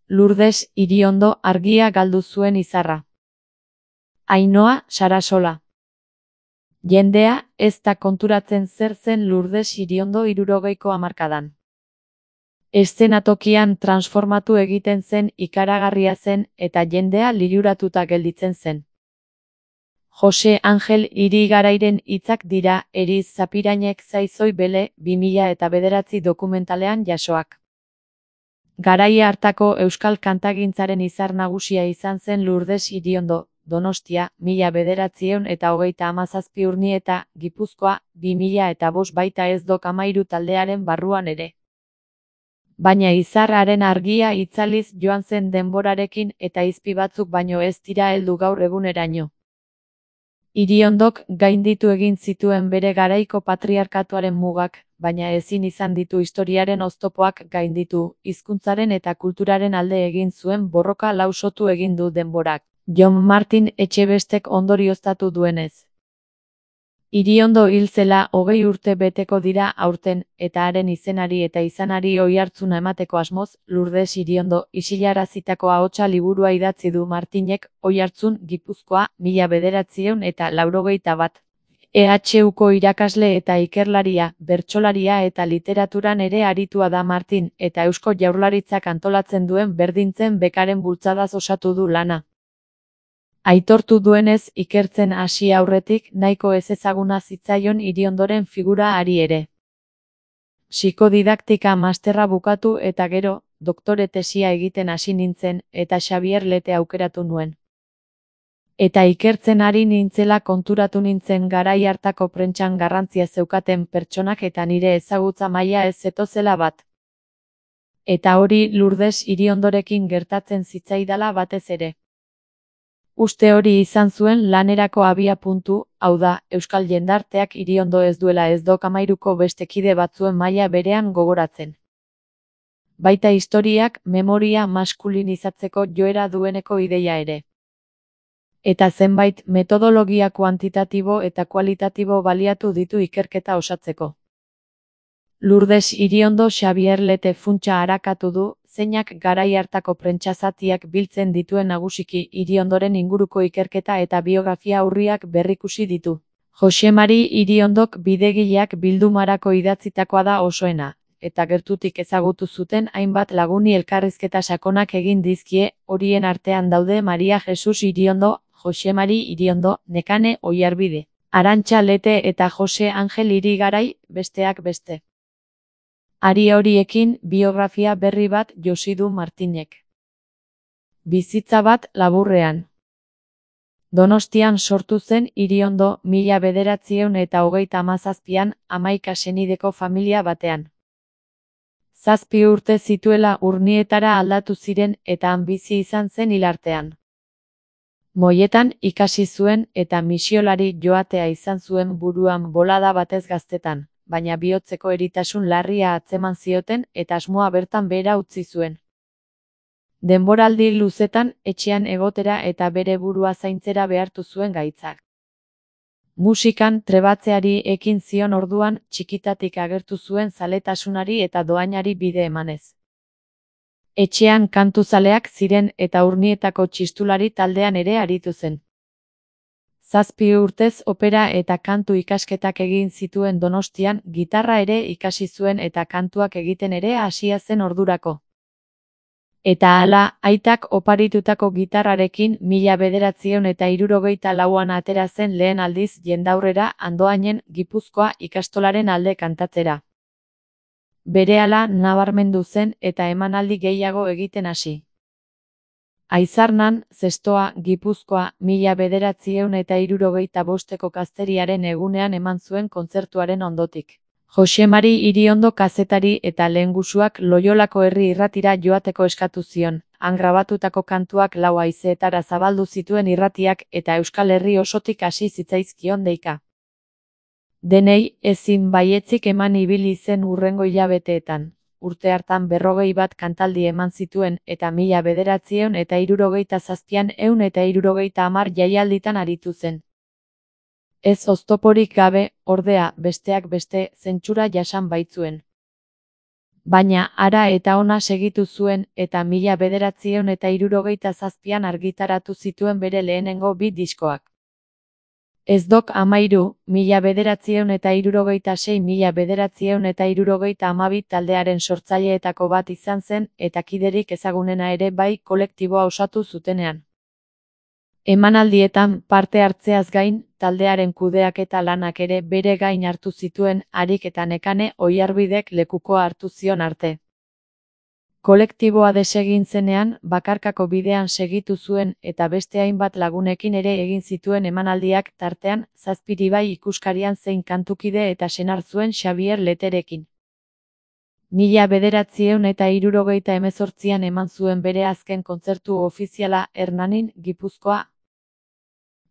Lurdes Iriondo argia galdu zuen izarra. Ainhoa Sarasola. Jendea ez da konturatzen zer zen Lurdes Iriondo 60ko hamarkadan. Eszenatokian transformatu egiten zen, ikaragarria zen eta jendea liluratuta gelditzen zen. Jose Angel Irigarairen hitzak dira Eriz Zapirainek zaizoi bele 2009 dokumentalean jasoak. Garaia hartako euskal kantagintzaren izar nagusia izan zen Lurdes Iriondo, Donostia, 1937 Urnieta, Gipuzkoa, 2005 baita ez dok 13 taldearen barruan ere. Baina izarraren argia itzaliz joan zen denborarekin eta izpi batzuk baino ez dira heldu gaur eguneraino. Iriondok gainditu egin zituen bere garaiko patriarkatuaren mugak, baina ezin izan ditu historiaren oztopoak gainditu, hizkuntzaren eta kulturaren alde egin zuen borroka lausotu egin du denborak. Jon Martin Etxebestek ondorioztatu duenez. Iriondo hil zela 20 urte beteko dira aurten, eta haren izenari eta izanari oihartzuna emateko asmoz, Lurdes Iriondo isilarazitako ahotsa liburua idatzi du Martinek, Oihartzun, Gipuzkoa, 1981. EHUko irakasle eta ikerlaria, bertsolaria eta literaturan ere aritua da Martin, eta Eusko Jaurlaritzak antolatzen duen berdintzen bekaren bultzadaz osatu du lana. Aitortu duenez, ikertzen hasi aurretik nahiko ezezaguna zitzaion Iriondoren figura ari ere. Psikodidaktika masterra bukatu eta gero, doktore tesia egiten hasi nintzen, eta Xabier Lete aukeratu nuen. Eta ikertzen ari nintzela konturatu nintzen garai hartako prentsan garrantzia zeukaten pertsonak eta nire ezagutza maila ez zetozela bat. Eta hori Lurdes Iriondorekin gertatzen zitzaidala batez ere. Uste hori izan zuen lanerako abia puntu, hau da, euskal jendarteak Iriondo ez duela ez dok 13ko beste kide batzuen maila berean gogoratzen. Baita historiak memoria maskulinizatzeko joera dueneko ideia ere. Eta zenbait metodologia kuantitatibo eta kualitatibo baliatu ditu ikerketa osatzeko. Lurdes Iriondo Xabier Lete funtsa arakatu du, zeinak garai hartako prentsazatiak biltzen dituen nagusiki Iriondoren inguruko ikerketa eta biografia urriak berrikusi ditu. Jose Mari Iriondok bidegileak bildumarako idatzitakoa da osoena, eta gertutik ezagutu zuten hainbat laguni elkarrizketa sakonak egin dizkie, horien artean daude Maria Jesus Iriondo, Jose Mari Iriondo, Nekane Oiarbide, Arantxa Lete eta Jose Angel Irigarai, besteak beste. Ari horiekin biografia berri bat josi du Martinek. Bizitza bat laburrean. Donostian sortu zen Iriondo 1937an 11 senideko familia batean. 7 urte zituela Urnietara aldatu ziren eta han bizi izan zen hilartean. Moietan ikasi zuen eta misiolari joatea izan zuen buruan bolada batez gaztetan, baina bihotzeko eritasun larria atzeman zioten eta asmoa bertan behera utzi zuen. Denboraldi luzetan etxean egotera eta bere burua zaintzera behartu zuen gaitzak. Musikan trebatzeari ekin zion orduan txikitatik agertu zuen zaletasunari eta dohainari bide emanez. Etxean kantuzaleak ziren eta Urnietako txistulari taldean ere aritu zen. 7 urtez opera eta kantu ikasketak egin zituen Donostian, gitarra ere ikasi zuen eta kantuak egiten ere hasia zen ordurako. Eta hala, aitak oparitutako gitarrarekin 1964an atera zen lehen aldiz jendaurrera Andoainen, Gipuzkoa ikastolaren alde kantatzera. Berehala nabarmendu zen eta emanaldi gehiago egiten hasi. Aizarnan, Zestoa, Gipuzkoa, 1965ko gazteriaren egunean eman zuen kontzertuaren ondotik. Jose Mari Iriondo kazetari eta lehengusuak Loiolako herri irratira joateko eskatu zion, han grabatutako kantuak 4 haizeetara zabaldu zituen irratiak eta Euskal Herri osotik hasi zitzaizkion deika. Denei ezin baietzik eman ibili zen hurrengo hilabeteetan. Urte hartan 41 kantaldi eman zituen eta 1967an 170 jaialditan aritu zen. Ez oztoporik gabe, ordea, besteak beste, zentsura jasan baitzuen. Baina hara eta ona segitu zuen eta 1967an argitaratu zituen bere lehenengo 2 diskoak. Ez dok 13, 1966-1972 taldearen sortzaileetako bat izan zen eta kiderik ezagunena ere bai kolektiboa osatu zutenean. Emanaldietan parte hartzeaz gain, taldearen kudeaketa lanak ere bere gain hartu zituen Harik eta Nekane Oiarbidek lekukoa hartu zion arte. Kolektiboa desegin zenean, bakarkako bidean segitu zuen eta beste hainbat lagunekin ere egin zituen emanaldiak tartean, Zazpiribai ikuskarian zein kantukide eta senar zuen Xabier Leterekin. 1978an eman zuen bere azken kontzertu ofiziala Hernanin, Gipuzkoa.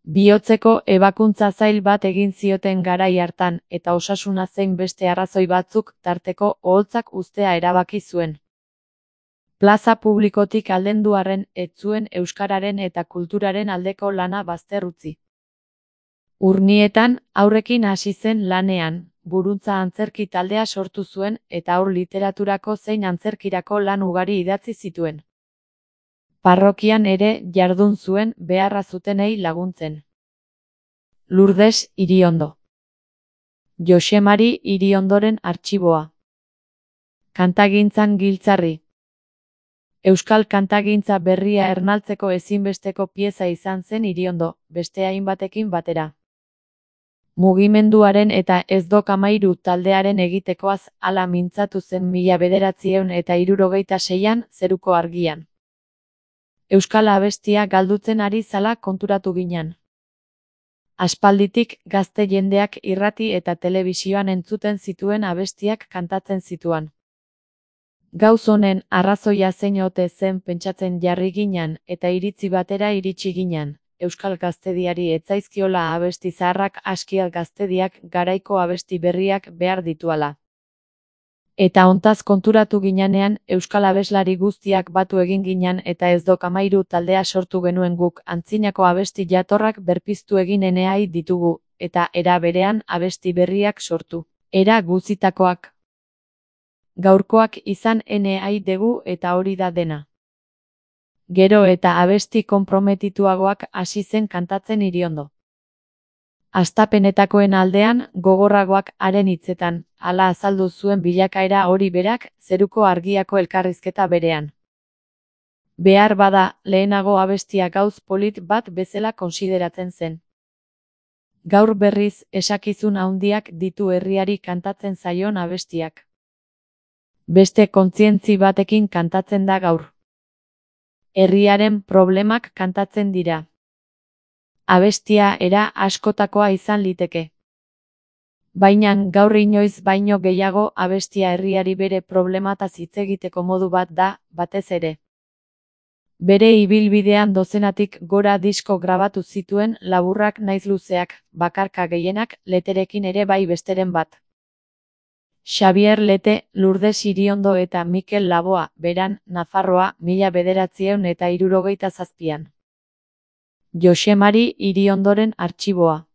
Bihotzeko ebakuntza zail bat egin zioten garai hartan eta osasuna zein beste arrazoi batzuk tarteko oholtzak uztea erabaki zuen. Plaza publikotik aldendu arren ez zuen euskararen eta kulturaren aldeko lana bazter utzi. Urnietan, haurrekin hasi zen lanean, Buruntza antzerki taldea sortu zuen eta haur literaturako zein antzerkirako lan ugari idatzi zituen. Parrokian ere jardun zuen beharra zutenei laguntzen. Lourdes Iriondo. Joxemari Iriondoren artxiboa. Kantagintzan giltzarri. Euskal kantagintza berria ernaltzeko ezinbesteko pieza izan zen Iriondo, beste hainbatekin batera. Mugimenduaren eta Ez dok 13 taldearen egitekoaz hala mintzatu zen 1976an Zeruko Argian. Euskal abestia galdutzen ari zala konturatu ginen. Aspalditik gazte jendeak irrati eta telebizioan entzuten zituen abestiak kantatzen zituan. Gauz honen arrazoia zein ote zen pentsatzen jarri ginen eta iritzi batera iritsi ginen. Euskal gaztediari etzaizkiola abesti zaharrak askial gaztediak garaiko abesti berriak behar dituala. Eta hontaz konturatu ginenean euskal abeslari guztiak batu egin ginen eta Ez dok 13 taldea sortu genuen guk antzinako abesti jatorrak berpiztu egin eneai ditugu, eta era berean abesti berriak sortu. Era guzitakoak. Gaurkoak izan eneai dugu eta hori da dena. Gero eta abesti konprometituagoak hasi zen kantatzen Iriondo. Hastapenetakoen aldean, gogorragoak haren hitzetan, hala azaldu zuen bilakaera hori berak, Zeruko Argiako elkarrizketa berean. Behar bada, lehenago abestia gauz polit bat bezala konsideratzen zen. Gaur berriz, esakizun handiak ditu herriari kantatzen zaion abestiak. Beste kontzientzi batekin kantatzen da gaur. Herriaren problemak kantatzen dira. Abestia era askotakoa izan liteke. Baina gaur inoiz baino gehiago abestia herriari bere problemataz hitz egiteko modu bat da, batez ere. Bere ibilbidean dozenatik gora disko grabatu zituen laburrak naiz luzeak, bakarka gehienak, Leterekin ere bai besteren bat. Xabier Lete, Lourdes Iriondo eta Mikel Laboa, Beran, Nafarroa, 1977an. Joxemari Iriondoren artxiboa.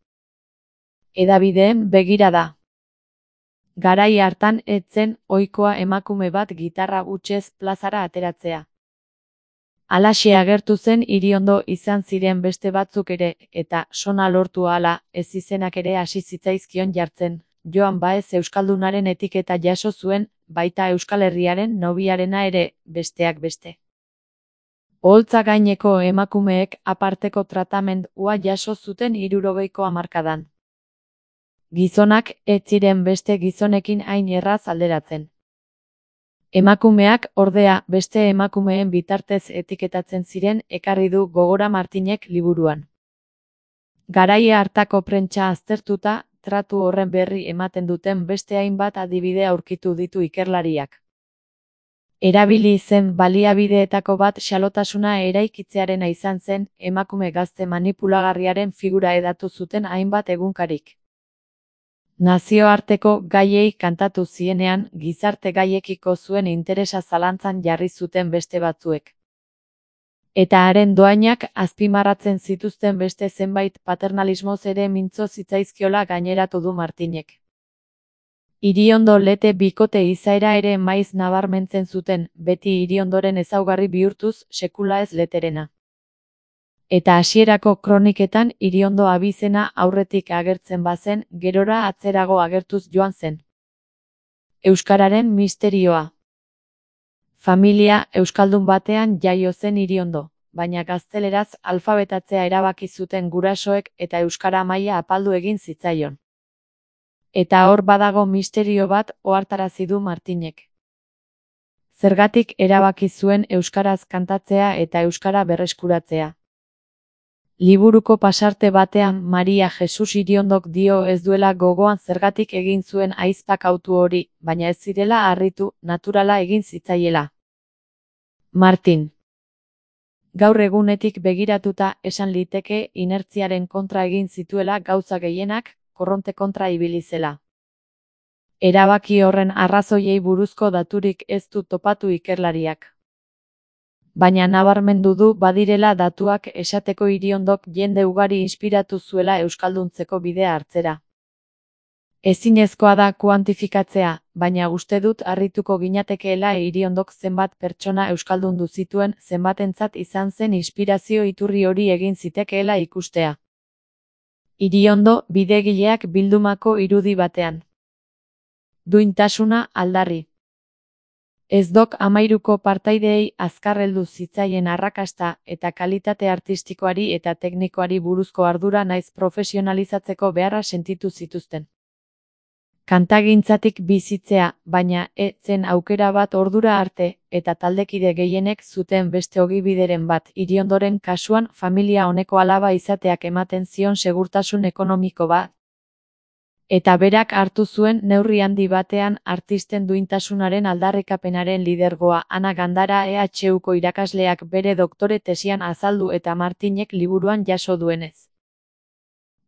Hedabideen begirada. Garai hartan ez zen ohikoa emakume bat gitarra hutsez plazara ateratzea. Halaxe agertu zen Iriondo izan ziren beste batzuk ere, eta sona lortu ahala, ez izenak ere hasi zitzaizkion jartzen. Joan Baez euskaldunaren etiketa jaso zuen, baita Euskal Herriaren nobiarena ere, besteak beste. Oholtza gaineko emakumeek aparteko tratamendua jaso zuten 60ko hamarkadan. Gizonak ez ziren beste gizonekin hain erraz alderatzen. Emakumeak, ordea, beste emakumeen bitartez etiketatzen ziren ekarri du gogora Martinek liburuan. Garaia hartako prentsa aztertuta, tratu horren berri ematen duten beste hainbat adibide aurkitu ditu ikerlariak. Erabili zen baliabideetako bat xalotasuna eraikitzearena izan zen, emakume gazte manipulagarriaren figura hedatu zuten hainbat egunkarik. Nazioarteko gaiei kantatu zienean, gizarte gaiekiko zuen interesa zalantzan jarri zuten beste batzuek. Eta haren doainak azpimarratzen zituzten beste zenbait paternalismoz ere mintzo zitzaizkiola gaineratu du Martinek. Iriondo Lete bikote izaera ere maiz nabarmentzen zuten, beti Iriondoren ezaugarri bihurtuz sekula ez Leterena. Eta hasierako kroniketan Iriondo abizena aurretik agertzen bazen, gerora atzerago agertuz joan zen. Euskararen misterioa. Familia euskaldun batean jaio zen Iriondo, baina gazteleraz alfabetatzea erabaki zuten gurasoek eta euskara maila apaldu egin zitzaion. Eta hor badago misterio bat ohartarazi du Martinek. Zergatik erabaki zuen euskaraz kantatzea eta euskara berreskuratzea. Liburuko pasarte batean Maria Jesus Iriondok dio ez duela gogoan zergatik egin zuen ahizpak hautu hori, baina ez zirela harritu, naturala egin zitzaiela. Martin. Gaur egunetik begiratuta esan liteke inertziaren kontra egin zituela gauza gehienak, korronte kontra ibili zela. Erabaki horren arrazoiei buruzko daturik ez du topatu ikerlariak. Baina nabarmendu du badirela datuak esateko Iriondok jende ugari inspiratu zuela euskalduntzeko bidea hartzera. Ezinezkoa da kuantifikatzea, baina uste dut harrituko ginatekeela Iriondok zenbat pertsona euskaldundu zituen zenbatentzat izan zen inspirazio iturri hori egin zitekeela ikustea. Iriondo bidegileak bildumako irudi batean. Duintasuna aldarri. Ez dok 13ko partaideei azkar heldu zitzaien arrakasta eta kalitate artistikoari eta teknikoari buruzko ardura naiz profesionalizatzeko beharra sentitu zituzten. Kantagintzatik bizitzea, baina zen aukera bat ordura arte, eta taldekide gehienek zuten beste ogibideren bat Iriondoren kasuan familia oneko alaba izateak ematen zion segurtasun ekonomiko bat. Eta berak hartu zuen neurri handi batean artisten duintasunaren aldarrikapenaren lidergoa Ana Gandara EHUko irakasleak bere doktore tesian azaldu eta Martinek liburuan jaso duenez.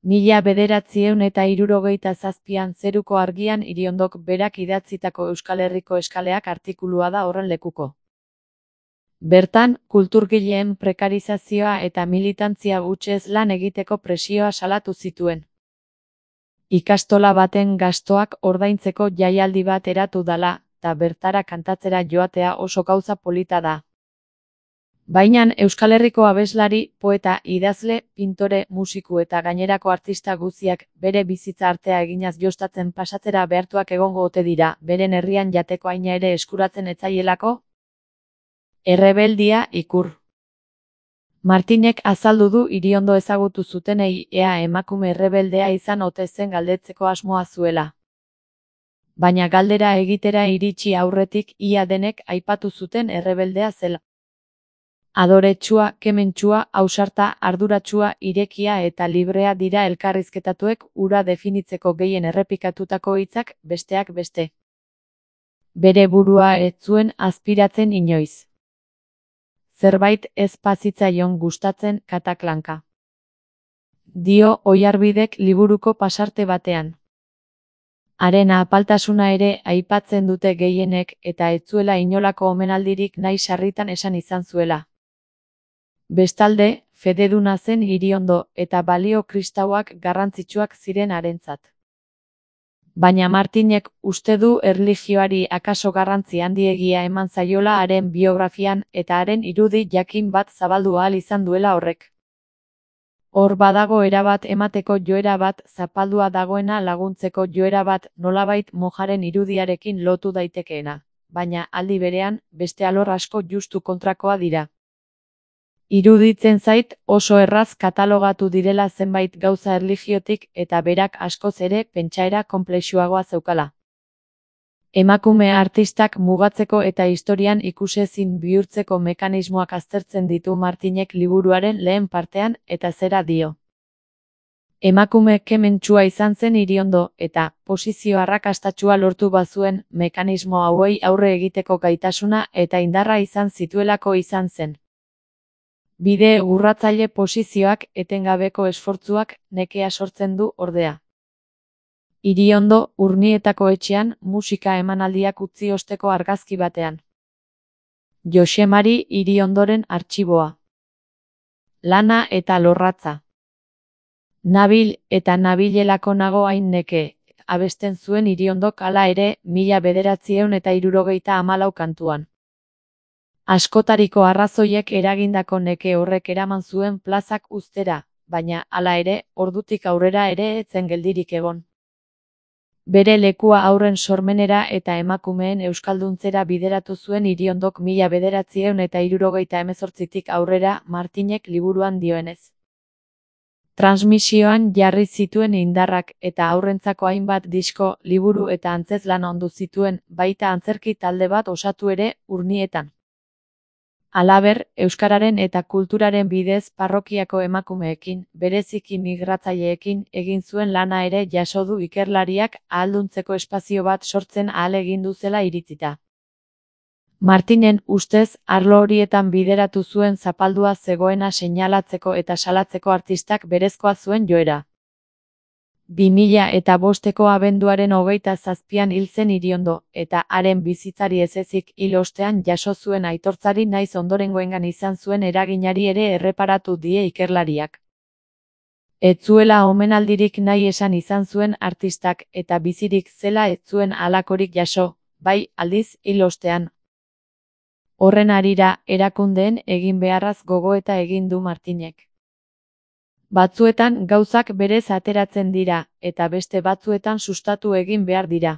1967an Zeruko Argian Iriondok berak idatzitako Euskal Herriko eskaleak artikulua da horren lekuko. Bertan, kulturgileen prekarizazioa eta militantzia hutsez lan egiteko presioa salatu zituen. Ikastola baten gastoak ordaintzeko jaialdi bat eratu dala, eta bertara kantatzera joatea oso gauza polita da. Baina Euskal Herriko abeslari, poeta, idazle, pintore, musiku eta gainerako artista guztiak bere bizitza artea eginaz jostatzen pasatzera behartuak egongo ote dira, beren herrian jateko haina ere eskuratzen etzaielako? Errebeldia ikur. Martinek azaldu du Iriondo ezagutu zutenei ea emakume errebeldea izan ote zen galdetzeko asmoa zuela. Baina galdera egitera iritsi aurretik ia denek aipatu zuten errebeldea zela. Adoretsua, kementsua, ausarta, arduratsua, irekia eta librea dira elkarrizketatuek hura definitzeko gehien errepikatutako hitzak besteak beste. Bere burua ez zuen azpiratzen inoiz. Zerbait ez pazitzaion gustatzen kataklanka. Dio Oiarbidek liburuko pasarte batean. Haren apaltasuna ere aipatzen dute gehienek eta ez zuela inolako omenaldirik nahi sarritan esan izan zuela. Bestalde, fededuna zen Iriondo eta balio kristauak garrantzitsuak ziren harentzat. Baina Martinek uste du erlijioari akaso garrantzi handiegia eman zaiola haren biografian eta haren irudi jakin bat zabaldu ahal izan duela horrek. Hor badago erabat emateko joera bat zapaldua dagoena laguntzeko joera bat nolabait mojaren irudiarekin lotu daitekeena, baina aldi berean beste alor asko justu kontrakoa dira. Iruditzen zait oso erraz katalogatu direla zenbait gauza erlijiotik eta berak askoz ere pentsaera konplexuagoa zeukala. Emakume artistak mugatzeko eta historian ikusezin bihurtzeko mekanismoak aztertzen ditu Martinek liburuaren lehen partean eta zera dio. Emakume kementsua izan zen Iriondo eta posizio arrakastatsua lortu bazuen mekanismo hauei aurre egiteko gaitasuna eta indarra izan zituelako izan zen. Bide urratzaile posizioak etengabeko esfortzuak nekea sortzen du ordea. Iriondo Urnietako etxean musika emanaldiak utzi osteko argazki batean. Jose Mari Iriondoren artxiboa. Lana eta lorratza. Nabil eta nabilelako nago hain neke, abesten zuen Iriondok hala ere 1974 kantuan. Askotariko arrazoiek eragindako neke horrek eraman zuen plazak uztera, baina hala ere, ordutik aurrera ere ez zen geldirik egon. Bere lekua haurren sormenera eta emakumeen euskalduntzera bideratu zuen Iriondok 1978tik aurrera Martinek liburuan dioenez. Transmisioan jarri zituen indarrak eta haurrentzako hainbat disko, liburu eta antzezlan ondu zituen, baita antzerki talde bat osatu ere Urnietan. Halaber, euskararen eta kulturaren bidez parrokiako emakumeekin, bereziki migratzaileekin egin zuen lana ere jaso du ikerlariak ahalduntzeko espazio bat sortzen ahalegindu zela iritzita. Martinen ustez, arlo horietan bideratu zuen zapaldua zegoena seinalatzeko eta salatzeko artistak berezkoa zuen joera. 2005ko abenduaren 27an hil zen Iriondo, eta haren bizitzari ez ezik hil ostean jaso zuen aitortzari naiz ondorengoengan izan zuen eraginari ere erreparatu die ikerlariak. Ez zuela omenaldirik nahi esan izan zuen artistak, eta bizirik zela ez zuen halakorik jaso, bai, aldiz, hil ostean. Horren harira, erakundeen egin beharraz gogoeta egin du Martinek. Batzuetan gauzak berez ateratzen dira, eta beste batzuetan sustatu egin behar dira.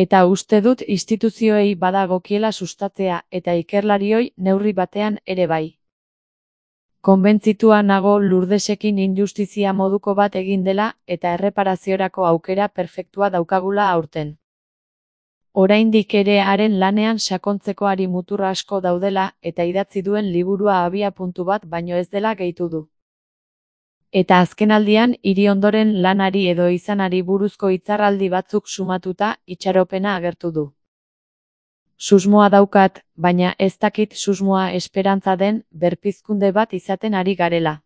Eta uste dut instituzioei badagokiela sustatzea, eta ikerlarioi neurri batean ere bai. Konbentzitua nago Lurdesekin injustizia moduko bat egin dela, eta erreparaziorako aukera perfektua daukagula aurten. Oraindik ere haren lanean sakontzeko hari mutur asko daudela, eta idatzi duen liburua abiapuntu bat baino ez dela gehitu du. Eta azkenaldian Iriondoren lanari edo izanari buruzko hitzarraldi batzuk sumatuta itxaropena agertu du. Susmoa daukat, baina ez dakit susmoa esperantza den berpizkunde bat izaten ari garela.